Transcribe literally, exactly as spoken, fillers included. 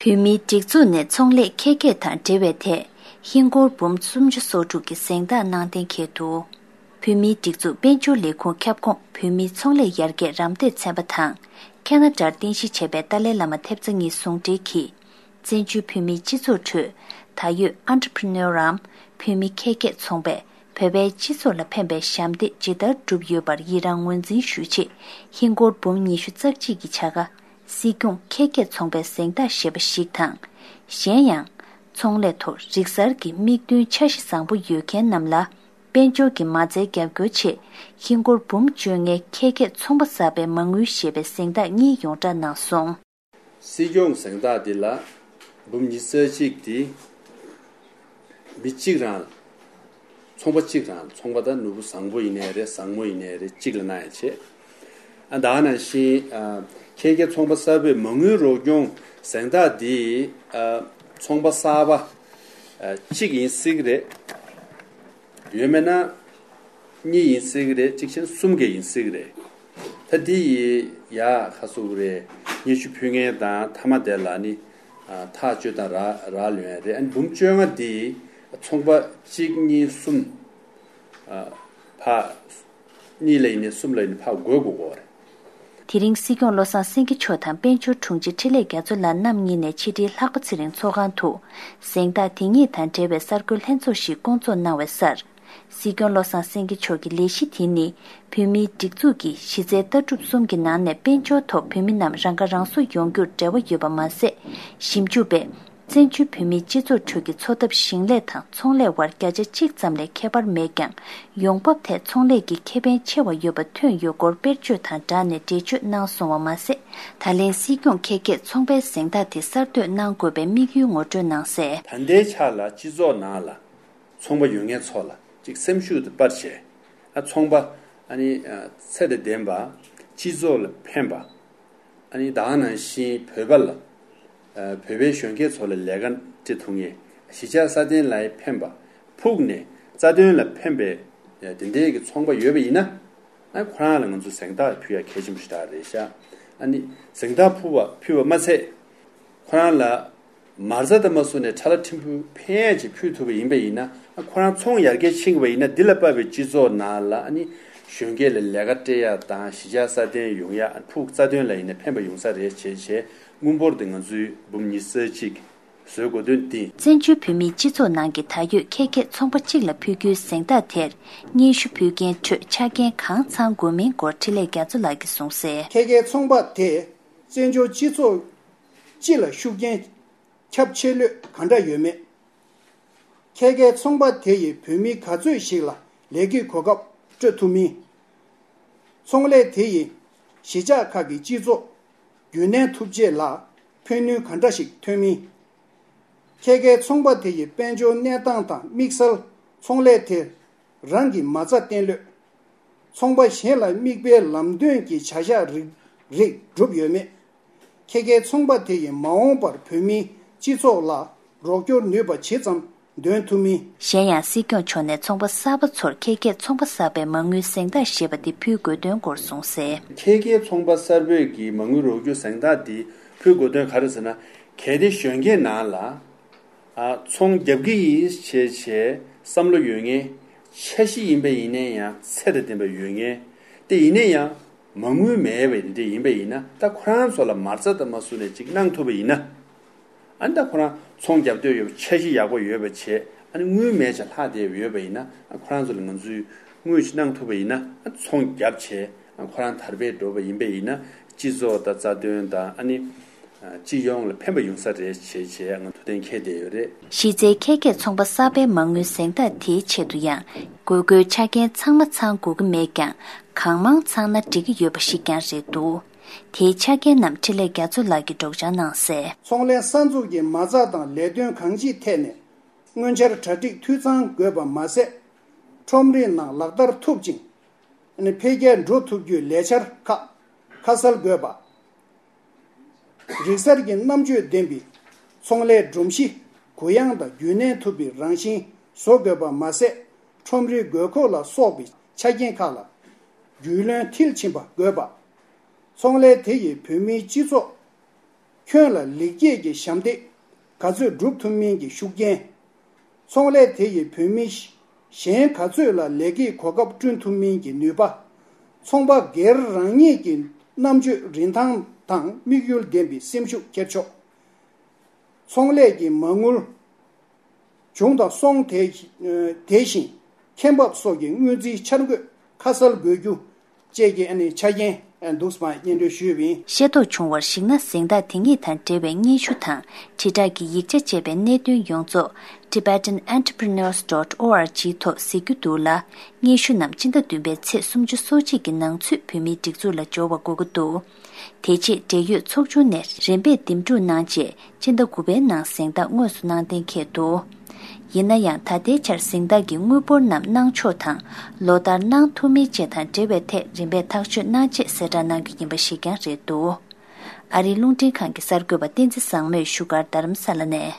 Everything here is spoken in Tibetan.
བོད་མིའི་སྒྲིག་འཛུགས་ནས་ཚོང་ལས་འཁེལ་འགྱེད་དང་འབྲེལ་བའི་ཐད་ཧིན་སྒོར་འབུམ་སུམ་ཅུ་སོ་དྲུག་གི་གཟེངས་རྟགས་གནང་གཏན་འཁེལ་འདུག་བོད་མིའི་སྒྲིག་འཛུགས་དཔལ་འབྱོར་ལས་ཁུངས་ཁྱབ་ཁོངས་བོད་མིའི་ཚོང་ལས་ཡར་རྒྱས་རམ་འདེགས་ཚན་པ་དང་། ཁེ་ན་ཌར་རྟེན་གཞི་བྱས་པའི་ཏཱ་ལའི་བླ་མ་ཐེབས་རྩ་གཉིས་ཟུང་འབྲེལ་གྱིས། བཙན་བྱོལ་བོད་མིའི་སྤྱི་ཚོགས་ཁྲོད་ད་ཡོད་ཨན་ཊི་པི་རི་ནོར་རམ་བོད་མི་འཁེལ་འགྱེད་ཚོང་པས་བོད་པའི་སྤྱི་ཚོགས་ལ་ཕན་པའི་ཞབས་འདེགས་ཇི་ལྟར་བསྒྲུབས་ཡོད་པར་ཡི་རངས་ངོས་འཛིན་ཞུ་ཆེད་ཧིན་སྒོར་འབུམ་ཉི་ཤུ་རྩ་གཅིག་གི་བྱ་དགའ། སྲིད་སྐྱོང་འཁེལ་འགྱེད་ཚོང་པའི་གཟེངས་རྟགས་ཞེས་པ་ཞིག་དང་། གཞན་ཡང་། ཚོང་ལས་ཐོག་རིག་གསར་གྱི་དམིགས་འདུན་འཆར་གཞི་བཟང་པོ་ཡོད་མཁན་རྣམས་ལ། དཔལ་འབྱོར་གྱི་མ་རྩའི་རྒྱབ་སྐྱོར་ཆེད་ཧིན་སྒོར་འབུམ་བཅོ་ལྔའི་འཁེལ་འགྱེད་ཚོང་པ་གསར་པའི་མ་དངུལ་ཞེས་པའི་གཟེངས་རྟགས་གཉིས་ཡོངས་བསྒྲགས་གནང་སོང་། སྲིད་སྐྱོང་གཟེངས་རྟགས་འདི་ལ་འབུམ་ཉི་ཤུ་རྩ་གཅིག་འདི་མི་གཅིག་རང་ཚོང་པ་གཅིག་རང་ཚོང་པ་དང་ནོར་བུ་བཟང་པོ་ཡིན་ནའི་རེད། བཟང་མོ་ཡིན་ནའི་རེད། གཅིག་ལ་གནང་ཡ་བྱེད། ཨ་ད་ག་ནང་བཞིན་ཨ་འཁེལ་འགྱེད་ཚོང་པ་གསར་པའི་མ་དངུལ་རོགས་སྐྱོང་གཟེངས་རྟགས་འདི་ཨ་ཚོང་པ་གསར་པ་ཨ་གཅིག་ཡིན་སྲིད་ཀྱི་རེད། ཡོད་མེད་ན་གཉིས་ཡིན་སྲིད་ཀྱི་རེད། གཅིག་བྱས་ན་གསུམ་གྱི་ཡིན་སྲིད་ཀྱི་རེད། ད་འདི་ཡི་ཡ་ཁ་སུ་རེད། སྙན་ཞུ་ཕུལ་མཁན་དང་མཐའ་མ་དེ་ལ་ནི་ཨ་ཐག་གཅོད་དང་ར་ར་ལོན་ཡ་རེད། ཨ་ནི་འབུམ་བཅོ་ལྔ་འདི་ཚོང་པ་གཅིག་གཉིས་གསུམ་ཨ་ཕ་གཉིས་ལ་ཡིན་ནའི་གསུམ་ལ་ཡིན་ནའི་ཕར་དགོས་དགོས་དགོས་རེད། དེ་རིང་སྲིད་སྐྱོང་བློ་བཟང་སེང་གེ་མཆོག་དང་དཔལ་འབྱོར་དྲུང་ཆེ་འཕྲིན་ལས་རྒྱ་མཚོ་ལགས་རྣམ་གཉིས་ནས་ཕྱི་དྲིལ་ལྷག་པ་ཚེ་རིང་ཚོགས་ཁང་དུ་གཟེངས་རྟགས་དེ་ཉིད་དང་འབྲེལ་བའི་གསར་འགོད་ལྷན་ཚོགས་ཤིག་བསྐོང་ཚོགས་གནང་བའི་སར། སྲིད་སྐྱོང་བློ་བཟང་སེང་གེ་མཆོག་གི་ལས་གཞི་དེ་ནི་བོད་མིའི་སྒྲིག་འཛུགས་ཀྱི་གཞི་རྩའི་ལྟ་གྲུབ་གསུམ་གྱི་ནང་ནས་དཔལ་འབྱོར་ཐོག་བོད་མི་རྣམས་རང་ཁ་རང་གསོ་ཡོང་རྒྱུར་འབྲེལ་བ་ཡོད་པ་མ་ཟད། ཞིབ་འཇུག་པས། བཙན་བྱོལ་བོད་མིའི་སྤྱི་ཚོགས་ཁྲོད་ཀྱི་འཚོ་ཐབས་ཞིང་ལས་དང་ཚོང་ལས་དབར་བརྒྱ་ཆ་གཅིག་ཙམ་ལས་ཁྱད་པར་མེད་ཀྱང་། ཡོང་འབབ་ཐད་ཚོང་ལས་ཀྱི་ཁེ་ཕན་ཆེ་བ་ཡོད་པ་ཐོན་ཡོད་སྐོར་དཔེར་བརྗོད་དང་སྦྲགས་ནས་འགྲེལ་བརྗོད་གནང་སོང་བ་མ་ཟད། ད་ལན་སྲིད་སྐྱོང་འཁེལ་འགྱེད་ཚོང་པའི་གཟེངས་རྟགས་དེ་གསར་གཏོད་གནང་དགོས་པའི་དམིགས་ཡུལ་ངོ་སྤྲོད་གནང་གསལ། ད་ལྟའི་ཆ་ལ་སྤྱི་ཚོགས་ནང་ལ་ཚོང་པ་ཡོད་མཁན་ཚོ་ལ་ཅིག་སེམས་ཤུགས་དེ་སྤར་བྱས། ཨ་ཚོང་པ་ཨ་ནི་ཚད་དང་ལྡན་པ། སྤྱི་ཚོགས་ལ་ཕན་པ། ཨ་ནི་ད་ག་ནང་བཞིན་བོད་པ་ལ་ཨ་བོད་པའི་གཞོན་སྐྱེས་ཚོ་ལ་ལས་ཀ་སྤྲད་ཐུབ་མཁན། གཞིས་ཆགས་སྲ་བརྟན་ལ་ཕན་པ། ཕུགས་ནས་རྩ་དོན་ལ་ཕན་པའི་དེ་འདྲའི་གི་ཚོང་པ་ཡོད་པ་ཡིན་ན། ཨ་ཁོ་རང་ལ་ང་ཚོ་གཟེངས་རྟགས་ཕུལ་ཡ་གལ་ཆེན་པོ་ཞིག་རེད་ཤག་ཨ་ནི་གཟེངས་རྟགས་ཕུལ་བ་ཕུལ་བ་མ་ཚད། ཁོ་རང་ལ་མ་རྩ་དང་མ་བཟུང་ནས་ཁྲ་ལ་ཕྲན་བུ་ཕན་ཡ་ཅིག་ཕུལ་ཐུབ་པ་ཡིན་པ་ཡིན་ན། ཨ་ཁོ་རང་ཚོང་ཡར་རྒྱས་ཕྱིན་པ་ཡིན་ན། འདི་ལ་དཔག་པའི་སྤྱི་ཚོགས་ནང་ལ་ཨ་ནི་གཞོན་སྐྱེས་ལ་ལས་ཀ་སྤྲད་ཡ་དང་གཞིས་ཆགས་སྲ་བརྟན་ཡོང་ཡ། ཨ་ཕུགས་རྩ་དོན་ལ་ཡིན་ན་ཕན་པ་ཡོང་ས་རེད་བྱས་བྱས། དངུལ་འབོར་དེ་ང་ཚོའི་འབུམ་ཉི་ཤུ་རྩ་གཅིག་བཟོ་དགོས་དོན་འདི། བཙན་བྱོལ་བོད་མིའི་སྤྱི་ཚོགས་ནང་གི་ད་ཡོད་འཁེལ་འགྱེད་ཚོང་པ་གཅིག་ལ་ཕུལ་རྒྱུའི་གཟེངས་རྟགས་དེར་སྙན་ཞུ་ཕུལ་མཁན་ཁྲོད་ཆ་རྐྱེན་གང་ཚང་དགོས་མིན་སྐོར་འཕྲིན་ལས་རྒྱ་མཚོ་ལགས་ཀྱིས་གསུངས་གསལ། འཁེལ་འགྱེད་ཚོང་པ་དེ་བཙན་བྱོལ་སྤྱི་ཚོགས་སྤྱི་ལ་ཤུགས་རྐྱེན་ཁྱབ་ཆེ་ལོས་ག་འདྲ་ཡོད་མེད། འཁེལ་འགྱེད་ཚོང་པ་དེ་ཡིས་བོད་མི་ག་ཚོད་ཞིག་ལ་ལས་ཀའི་གོ་སྐབས་སྤྲོད་ཐུབ་མིན། ཚོང་ལས་དེ་ཡིས་གཞིས་ཆགས་ཁག་གི་སྤྱི་ཚོགས་རྒྱུན་གནས་ཐུབ་ཆེད་ལ་ཕན་ནུས་ག་འདྲ་ཞིག་ཐོན་མིན། འཁེལ་འགྱེད་ཚོང་པ་དེ་ཡི་དཔལ་འབྱོར་གནས་སྟངས་དང་དམིགས་བསལ་ཚོང་ལས་དེ་རང་གི་མ་རྩ་བརྟན་ལོས། ཚོང་པ་གཞན་ལ་མིག་དཔེའི་ལམ་སྟོན་གྱི་བྱ་གཞག་རིགས་རིགས་བསྒྲུབས་ཡོད་མེད། འཁེལ་འགྱེད་ཚོང་པ་དེ་ཡིས་མ་འོངས་པར་བོད་མིའི་སྤྱི་ཚོགས་ལ་རོགས་སྐྱོར་ནུས་པ་ཇི་ཙམ་འདོན་ཐུབ་མིན། གཞན་ཡང་སྲིད་སྐྱོང་མཆོག་ནས་ཚོང་པ་གསར་པ་ཚོར་འཁེལ་འགྱེད་ཚོང་པ་གསར་པའི་མ་དངུལ་གཟེངས་རྟགས་ཞེས་པ་དེ་ཕུལ་དགོས་དོན་སྐོར་གསུངས་གསལ། འཁེལ་འགྱེད་ཚོང་པ་གསར་པའི་གི་མ་དངུལ་རོགས་སྐྱོར་གཟེངས་རྟགས་དེ་ཕུལ་དགོས་དོན་ག་རེ་ཟེར་ན། གལ་ཏེ་གཞོན་སྐྱེས་ནང་ལ་ཨ་ཚོང་རྒྱབ་ཀྱི་ཡིན་ཞེས་བྱས་བསམ་བློ་ཡོད་མཁན། འཆར་གཞི་ཡིན་པ་ཡིན་ན་ཡང་ཚད་དང་ལྡན་པ་ཡོད་མཁན་དེ་ཡིན་ན་ཡང་། མ་དངུལ་མེད་པའི་འདི་འདྲ་ཡིན་པ་ཡིན་ན། ད་ཁོ་རང་ཚོ་ལ་མ་རྩ་དང་མ་བཟུང་ནས་ཅིག་གནང་ཐུབ་པ་ཡིན་ན། ཨ་ནི་ད་ཁོ་རང་ཚོང་རྒྱབ་འདོད་ཡོད་པ། འཆར་གཞི་ཡག་པོ་ཡོད་པ་བྱས། ཨ་ནི་དངུལ་མེད་ཅིག་ལྷག་བསྡད་ཡོད་པ་ཡིན་ན། ཨ་ཁོ་རང་ཚོ་ལ་ང་ཚོས་དངུལ་ཅིག་གནང་ཐུབ་པ་ཡིན་ན། ཨ་ཚོང་རྒྱབ་བྱས། ཨ་ཁོ་རང་དར་སྤེལ་འགྲོ་བ་ཡིན་པ་ཡིན་ན། སྤྱི་ཚོགས་དང་རྩ་དོན་དང་། ཨ་ནི་སྤྱི་ཡོངས་ལ་ཕན་པ་ཡོང་ས་རེད་བྱས་བྱས་ང་ཐུགས་གཏན་འཁེལ་བསྡད་ཡོད་རེད། གཞི་རྩའི་འཁེལ་འགྱེད་ཚོང་པ་གསར་པའི་མ་དངུལ་གཟེངས་རྟགས་དེའི་ཆེད་དུ་ཡང་དགོས་མཁོའི་ཆ་རྐྱེན་ཚང་མ་ཚང་དགོས་ཀྱི་མེད་ཀྱང་། གང་མང་ཚང་ན་འགྲིག་གི་ཡོད་པ་ཞིག་ཀྱང་རེད་འདུག་དེའི་ཆ་རྐྱེན་རྣམས་འཕྲིན་ལས་རྒྱ་མཚོ་ལགས་ཀྱིས་སྒྲོག་སྦྱང་གནང་གསལ། ཚོང་ལས་གསར་འཛུགས་ཀྱི་མ་རྩ་དང་ལས་དོན་གང་ཅིའི་ཐད་ནས་སྔོན་འཆར་གྲ་སྒྲིག་འཐུས་ཚང་དགོས་པ་མ་ཟད། ཁྲོམ་རའི་ནང་ལག་བསྟར་ཐུབ་ཅིང་། ཨ་ནི་འཕེལ་རྒྱས་འགྲོ་ཐུབ་རྒྱུའི་ལས་འཆར་ཁག་ཁ་གསལ་དགོས་པ། རིག་གསར་གྱི་རྣམ་དཔྱོད་ལྡན་པའི་ཚོང་ལས་སྒྲོམ་གཞི་གུ་ཡངས་དང་རྒྱུན་གནས་ཐུབ་པའི་རང་བཞིན་བཟོ་དགོས་པ་མ་ཟད། ཁྲོམ་རའི་དགོས་མཁོ་ལ་སོགས་པའི་ཆ་རྐྱེན་ཁག་ལ་རྒྱུས་ལོན་མཐིལ་ཕྱིན་པ་དགོས་པ། ཚོང་ལས་དེ་ཡིས་བོད་མིའི་སྤྱི་ཚོགས་ ཁྱོན་ལ་ལེགས་སྐྱེས་ཀྱི་ཞབས་འདེགས་ག་ཚོད་སྒྲུབ་ཐུབ་མིན་གྱི་ཤུགས་རྐྱེན། ཚོང་ལས་དེ་ཡིས་བོད་མི་གཞན་ག་ཚོད་ལ་ལས་ཀའི་གོ་སྐབས་བསྐྲུན་ཐུབ་མིན་གྱི་ནུས་པ། ཚོང་པ་སྒེར་རང་ཉིད་ཀྱི་རྣམ་དཔྱོད་རིན་ཐང་དང་དམིགས་ཡུལ་ལྡན་པའི་སེམས་ཤུགས་འཁྱེར་ཕྱོགས། ཚོང་ལས་ཀྱི་མ་དངུལ་བྱུང་དང་སོང་། དེ་དེ་བཞིན་ཁེ་འབབ་སོགས་ཀྱི་སྔོན་རྩིས་འཆར་འགོད་ཁ་གསལ་དགོས་རྒྱུ་བཅས་ཀྱི་ཨ་ནི་ཆ་རྐྱེན་འདུག་སེ་སྙན་སྒྲོན་ཞུས་པ་ཡིན། ཤེས་རྟོགས་བྱུང་བར་གཞིགས་ན། གཟེངས་རྟགས་དེ་ཉིད་དང་འབྲེལ་བའི་སྙན་ཞུ་དང་དྲིལ་བསྒྲགས་ཀྱི་ཡིག་ཆ་བཅས་པའི་གནད་དོན་ཡོངས་རྫོགས་Tibetan Entrepreneurs dot org ཐོག་གཟིགས་རྒྱུ་འདུག་ལ། སྙན་ཞུ་རྣམས་སྤྱི་ཟླ་བདུན་པའི་ཚེས་སུམ་ཅུ་སོ་གཅིག་གི་ནང་ཚུད་བོད་མིའི་སྒྲིག་འཛུགས་ལ་འབྱོར་བ་དགོས་ཀྱི་འདུག་དེ་རྗེས་འབྲེལ་ཡོད་ཚོགས་ཆུང་ནས་རིམ་པས་འདེམས་སྒྲུག་གནང་རྗེས། སྤྱི་ཟླ་དགུ་པའི་ནང་གཟེངས་རྟགས་དངོས་སུ་གནང་གཏན་འཁེལ་འདུག་ཡིན་ན་ཡང་། ད་ལྟའི་ཆར་གཟེངས་རྟགས་ཀྱི་དངུལ་འབོར་རྣམས་གནང་ཕྱོགས་དང་། ལོ་ལྟར་གནང་ཐུབ་མིན་བཅས་དང་འབྲེལ་བའི་ཐད་རིམ་པས་ཐག་གཅོད་གནང་ཆེད་གསལ་བསྒྲགས་གནང་རྒྱུ་ཡིན་པ་ཞིག་ཀྱང་རེད་འདུག་ཨ་རིའི་རླུང་འཕྲིན་ཁང་གི་གསར་འགོད་པ་བསྟན་འཛིན་བཟང་མོས་བཞུགས་སྒར་རྡ་རམ་ས་ལ་ནས།